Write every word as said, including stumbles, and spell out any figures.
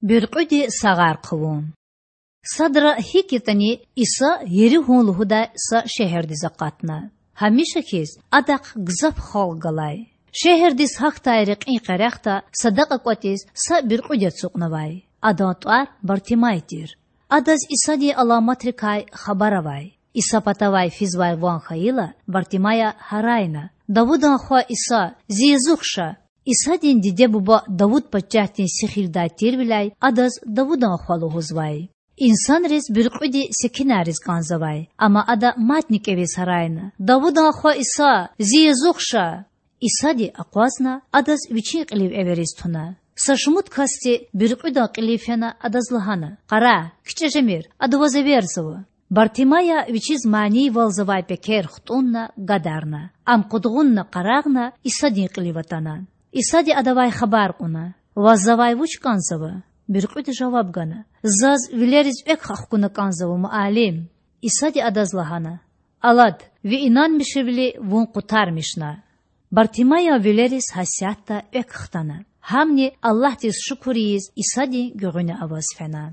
Буьркьуьди сагъар хъувун. Садра гьикӏ ятӏани, Иса Еригьун лугьудай са шегьердиз акъатна. Гьамиша хьиз, Адахъ гзаф халкь галай. Шегьердиз гьахьдай рекьин къерехда садакьа кӏватӏиз са буьркьуьди ацукьнавай. Адан тӏвар Бартимай тир. Адаз Исадин аламатрикай хабар авай. Иса патавай физвай ван хьайила, Бартимая гьарайна: Давудан Хва Иса, зи язух ша! Исадин диде-буба Давуд пачагьдин сихилдай тирвиляй адаз Давудан Хва лугьузвай. Инсанриз буьркьуьди секинарриз кӏанзавай, амма ада мадни кӏевиз гьарайна: Давудан Хва Иса, зи язух ша! Исади акъвазна, адаз вичин кьилив эвериз туна. Са шумуд касди буьркьуьдан кьилив фена адаз лагьана: Къарагъ, кичӏе жемир, ада ваз эверзава. Бартимая вичиз манийвалзавай пекер хтӏунна гадарна. Ам къудгъунна къарагъна Исадин кьилив атана. Исади адавай хабар кьуна: Ваз завай вуч кӏанзава? Буьркьуьди жаваб гана: Заз вилериз экв хкуна кӏанзава, Муаллим. Исади адаз лагьана: Алад, ви инанмишвили вун къутармишна. Бартимаян вилериз гьасятда экв хтана. Гьамни, Аллагьдиз шукур ийиз, Исадин гуьгъуьна аваз фена.